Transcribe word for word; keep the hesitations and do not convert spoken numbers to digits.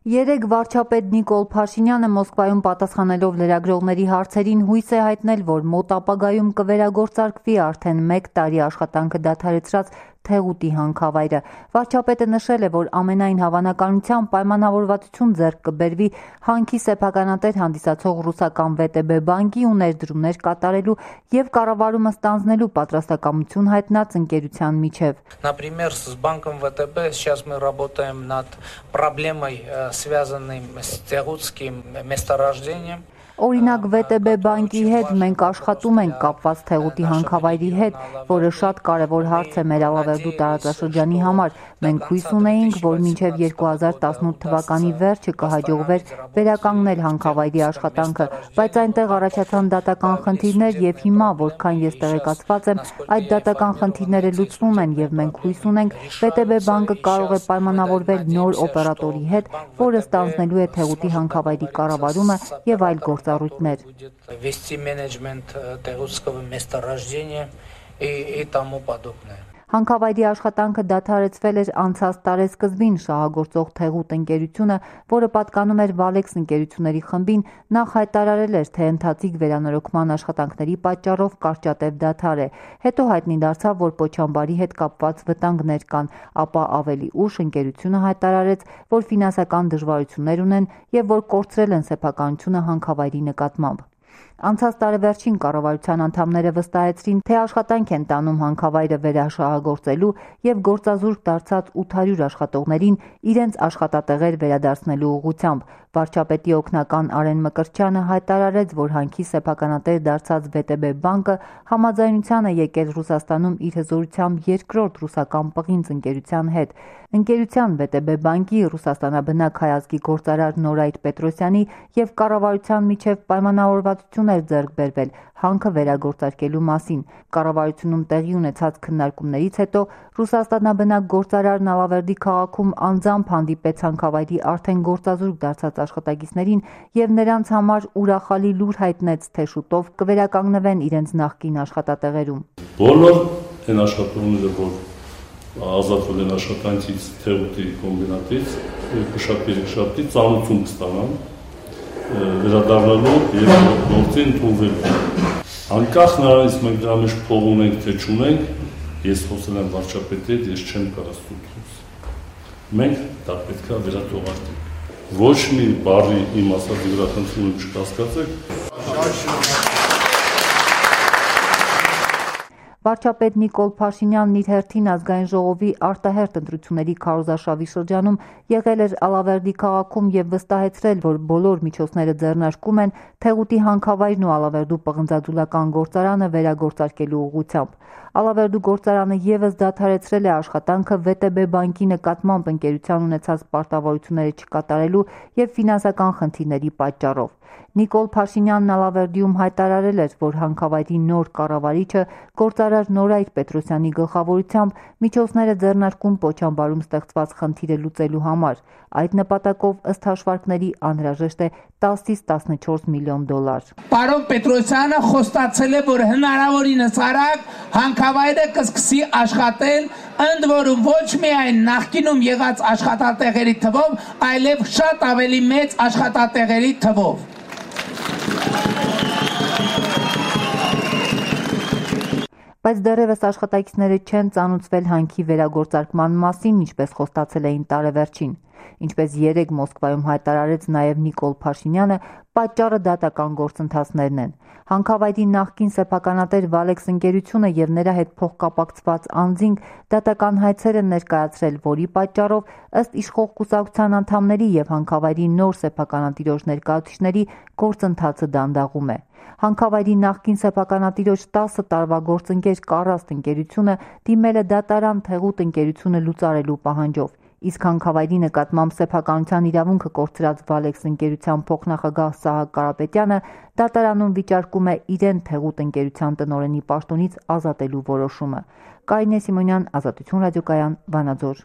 Երեկ վարչապետ Նիկոլ Փաշինյանը Մոսկվայում պատասխանելով լրագրողների հարցերին հույս է հայտնել, որ մոտ ապագայում կվերագործարկվի արդեն մեկ տարի աշխատանքը դադարեցրած Թեղուտի հանքավայրը։ Վարչապետը նշել է, որ ամենայն հավանականությամբ պայմանավորվածություն ձեռք կբերվի հանքի սեփականատեր հանդիսացող ռուսական վե տե բե բանկի ու ներդրումներ կատարելու և կառավարումը ստանձնելու պատրաստակամություն հայտնած ընկերության միջև։ Например, с банком вэ тэ бэ сейчас мы работаем над проблемой, связанной с Թեղուտским месторождением. Օրինակ վե տե բե բանկի հետ մենք աշխատում ենք կապված Թեղուտի հանքավայրի հետ, որը շատ կարևոր հարց է մեր Ալավերդու տարածաշրջանի համար։ Մենք հույս ունեինք, որ մինչև երկու հազար տասնութ թվականի վերջը կհաջողվեր վերականգնել հանքավայրի աշխատանքը, բայց այնտեղ առաջացան դատական խնդիրներ և հիմա, որքան ես տեղեկացված եմ, այդ դատական խնդիրները լուծվում են և մենք հույս ունենք վե տե բե բանկը կարող է պայմանավորվել նոր օպերատորի հետ, որը ստանձնելու է Թեղուտի հանքավայրի կառավարումը և այլ գործ вести менеджмент Թեղուտского месторождения и тому подобное. Հանքավայրի աշխատանքը դադարեցվել էր անցած տարեսկզբին շահագործող Թեղուտ ընկերությունը, որը պատկանում էր Վալեքս ընկերությունների խմբին, նախ հայտարարել էր, թե ընթացիկ վերանորոգման աշխատանքների պատճառով կարճատև դադար է։ Հետո հայտնի դարձավ, որ Պոչամբարի հետ կապված վտանգներ կան, ապա ավելի ուշ ընկերությունը հայտարարեց, որ ֆինանսական դժվարություններ ունեն և որ կորցրել են սեփականությունը հանքավայրի նկատմամբ։ Անցած տարեվերջին կառավարության անդամները վստահեցրին, թե աշխատանք են տանում հանքավայրը վերաշահագործելու և գործազուրկ դարձած ութ հարյուր աշխատողներին իրենց աշխատատեղեր վերադարձնելու ուղղությամբ։ Վարչապետի օգնական Արեն Մկրտչյանը հայտարարեց, որ հանքի սեփականատեր դարձած վե տե բե բանկը համաձայնության է եկել Ռուսաստանում իր հզորությամբ երկրորդ ռուսական պղինձ ընկերության հետ։ Ընկերության վե տե բե բանկի ռուսաստանաբնակ հայ ազգի գործարար Նորայր Պետրոսյանի և կառավարության միջև պայմանավորվածություն էր ձեռք բերվել հանքը վերագործարկելու մասին։ Կառավարությունում տեղի ունեցած քննարկումներից հետո ռուսաստանաբնակ գործարարն Ալավերդի քաղաքում անձամբ հանդիպեց հանքավայրի արդեն գործազուրկ դարձած աշխատակիցներին և նրանց համար ուրախալի լուր հայտնեց, թե շուտով կվերականգնվեն իրենց նախկին աշխատատեղերում։ Բոլոր այն աշխատողները, որ ազատվել են աշխատանքից Թեղուտի կոմբինատից, երկուշաբթի երեքշաբթի ծանոթություն կստանան վերադառնալու և գործի ընդունվելու։ Անկախ նրանից մենք դրա մեջ փող ունենք, թե չունենք, ես խոսել եմ վարչապետի հետ, ես չեմ կարող ստուգել։ Մենք դա պետք է վերաթողարկենք։ Ոչ մի բառի իմ ասածի վրա խնդրում եմ չկասկածեք։ Վարչապետ Նիկոլ Փաշինյանն իր հերթին ազգային ժողովի արտահերթ ընտրությունների քարոզարշավի շրջանում եղել էր Ալավերդի քաղաքում և վստահեցրել, որ բոլոր միջոցները ձեռնարկում են Թեղուտի հանքավայրն ու Ալավերդու պղնձաձուլական գործարանը վերագործարկելու ուղղությամբ։ Ալավերդու գործարանը ևս դադարեցրել է աշխատանքը վե տե բե բանկի նկատմամբ ընկերության ունեցած պարտավորությունները չկատարելու և ֆինանսական խնդիրների պատճառով։ Նիկոլ Փաշինյանն Ալավերդիում հայտարարել էր, որ հանքավայրի նոր կառավարիչը գործարար Նորայր Պետրոսյանի գլխավորությամբ միջոցներ է ձեռնարկում Պոչամբարում ստեղծված խնդիրը լուծելու համար։ Այդ նպատակով ըստ հաշվարկների անհրաժեշտ է տասից տասնչորս միլիոն դոլար։ Պարոն Պետրոսյանը խոստացել է, որ հնարավորինս արագ հանքավայրը կսկսի աշխատել, ընդ որում ոչ միայն նախկինում եղած աշխատատեղերի թվով, այլև շատ ավելի մեծ աշխատատեղերի թվով։ Բայց դեռևս աշխատակիցները չեն ծանոթվել հանքի վերագործարկման մասին, ինչպես խոստացել էին տարեվերջին։ Ինչպես երեկ Մոսկվայում հայտարարեց նաև Նիկոլ Փաշինյանը, պատճառը դատական գործընթացներն են։ Հանքավայրի նախկին սեփականատեր Վալեքս ընկերությունը և նրա հետ փոխկապակցված անձինք դատական հայցեր են ներկայացրել, որի պատճառով ըստ իշխող կուսակցության անդամների և հանքավայրի նոր սեփականատիրոջ ներկայացուցիչների գործընթացը դանդաղում է։ Հանքավայրի նախկին սեփականատիրոջ տասը տարվա գործընկեր Կարաստ ընկերությունը դիմել է դատարան Թեղուտ ընկերությունը լուծարելու պահանջով, իսկ հանքավայրի նկատմամբ սեփականության իրավունքը կորցրած Վալեքս ընկերության փոխնախագահ Սահակ Կարապետյանը դատարանում վիճարկում է իրեն Թեղուտ ընկերության տնօրենի պաշտոնից ազատելու որոշումը։ Կարինե Սիմոնյան, Ազատություն ռադիոկայան, Վանաձոր։